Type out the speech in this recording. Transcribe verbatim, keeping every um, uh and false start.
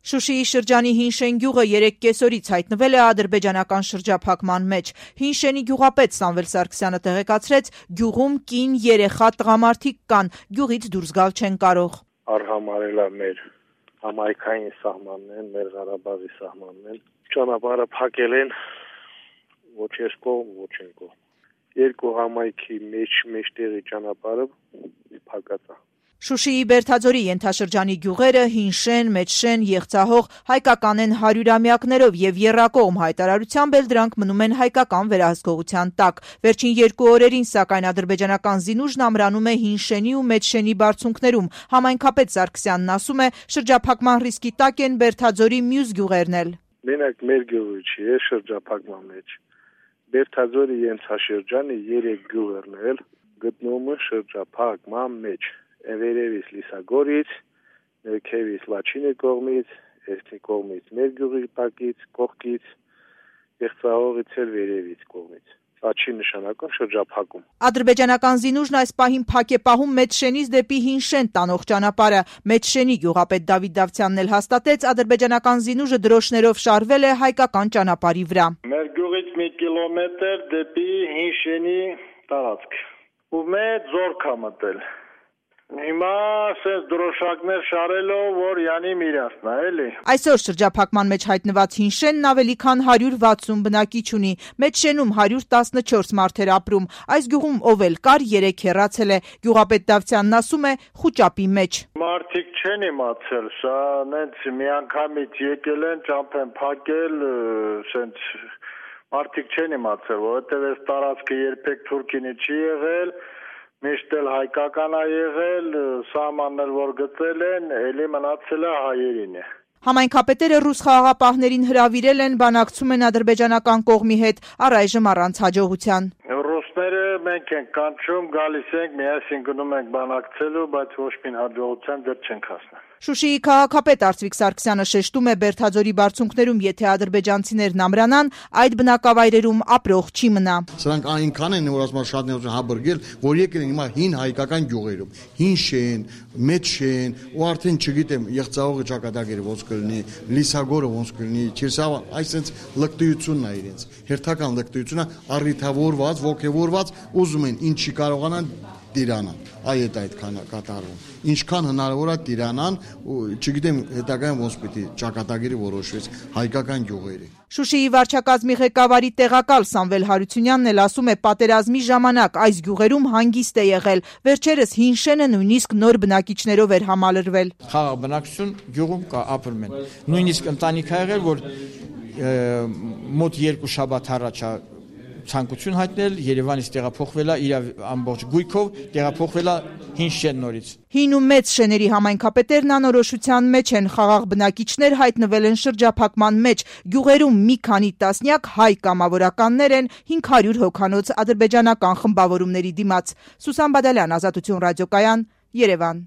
Շուշիի շրջանի Հինշեն գյուղը երեկ կեսօրից հայտնվել է ադրբեջանական շրջափակման մեջ։ Հինշենի գյուղապետ Սամվել Սարգսյանը տեղեկացրեց, գյուղում կին, երեխա, տղամարդիկ կան, գյուղից դուրս գալ չեն կարող։ Արհամարել է մեր համայնքային սահմանն, մեր Ղարաբաղի սահմանն, ճանապարհը փակել են ոչ ես կողմ, ոչ են կողմ։ Երկու համայնքի մեջ մեջտեղի ճանապարհը փակած է։ Շուշիի Բերդաձորի ենթաշրջանի գյուղերը Հինշեն, Մեջշեն, Եղցահող հայկական են հարյուրամյակներով եւ եռակողմ հայտարարությամբ էլ դրանք մնում են հայկական վերահսկողության տակ։ Վերջին երկու օրերին սակայն ադրբեջանական զինուժն ամրանում է Հինշենի ու Մեջշենի բարձունքներում։ Համայնքապետ Սարգսյանն ասում է, շրջափակման ռիսկի տակ են Բերդաձորի մյուս գյուղերն էլ։ Մենակ մեր գյուղը չի, է շրջափակման մեջ։ Բերդաձորի ենթաշրջանի երեք գյուղերն էլ գտնվում են շրջափակման մեջ։ Վերևից Լիսագորից, ներքևից Լաչինի կողմից, երկի կողմից մեր գյուղի տակից, կողքից, Եղցահողից էլ վերևից կողմից։ Լաչի նշանակում շրջափակում։ Ադրբեջանական զինուժն այս պահին փակ է պահում Մեջշենից դեպի Հինշեն տանող ճանապարհը։ Մեջշենի գյուղապետ Դավիթ Դավթյանն էլ հաստատեց, ադրբեջանական զինուժը դրոշներով շարվել է հայկական ճանապարհի վրա։ Մեր գյուղից մի կիլոմետր դեպի Հինշենի տարածք։ Ու մեծ զորք է մտել։ Հիմա ասես դրոշակներ շարելով, որ յանի միրասն է, էլի։ Այսօր շրջափակման մեջ հայտնված Հինշենն ավելի քան հարյուր վաթսուն բնակիչ ունի։ Մեջշենում հարյուր տասնչորս մարդ էր ապրում։ Այս գյուղում ով էլ կար, երեք հեռացել է։ Գյուղապետ Դավթյանն ասում է, խուճապի մեջ։ Մարդիկ չեն իմացել, սա նենց միանգամից եկել են, ճամփ են փակել, սենց մարդիկ չեն իմացել, որովհետև այս տարածքը երբեք թուրքինի չի եղել։ Միշտ էլ հայկական է եղել, սահմաններ որ գծել են, էլի մնացել է հայերին է։ Համայնքապետերը ռուս խաղաղապահներին հրավիրել են, բանակցում են ադրբեջանական կողմի հետ, առայժմ առանց հաջողության։ Ռուսները մենք ենք կանչում, գալիս ենք, միասին գնում ենք բանակցելու, բայց ոչ մի հաջողության դեռ չենք հասնել։ Շուշիի քաղաքապետ Արծվիկ Սարգսյանը շեշտում է, Բերդաձորի բարձունքներում եթե ադրբեջանցիներն ամրանան, այդ բնակավայրերում ապրող չի մնա։ Սրանք այնքան են, որ ասում շատ հաբրգել, որ եկել են հիմա հին հայկական գյուղերում, Հինշեն, Մեջշեն, ու արդեն չգիտեմ, Եղցահողի ճակատագիրը ոնց կլինի, Լիսագորը ոնց կլինի, Չիրսավը, այսպես լկտիությունն է իրենց, հերթական լկտիությունը առիթավորված, ոգևորված, ուզում են ինչի կարողանան դիրանան, այդ այդ կատարվում։ Ինչքան հնարավոր է դիրանան, չգիտեմ հետագայում ոնց պիտի ճակատագիրը որոշվեց հայկական գյուղերի։ Շուշիի վարչակազմի ղեկավարի տեղակալ Սամվել Հարությունյանն էլ ասում է, պատերազմի ժամանակ այս գյուղերում հանգիստ է եղել։ Վերջերս Հինշենը նույնիսկ նոր բնակիչներով էր համալրվել։ Խաղաղ բնակչություն գյուղում կա, ապրում են։ Նույնիսկ ընտանիք ա եղել, որ մոտ երկու շաբաթ առաջ ցանկություն հայտնել, Երևանից տեղափոխվել է իր ամբողջ գույքով, տեղափոխվել է Հինշեն նորից։ Հին ու մեծ շեների համայնքապետերն անորոշության մեջ են, խաղաղ բնակիչներ հայտնվել են շրջափակման մեջ, գյուղերում մի քանի տասնյակ հայ կամավորականներ են հինգ հարյուր հոգանոց ադրբեջանական խմբավորումների դիմաց։ Սուսան Բադալյան, Ազատություն ռադիոկայան, Երևան։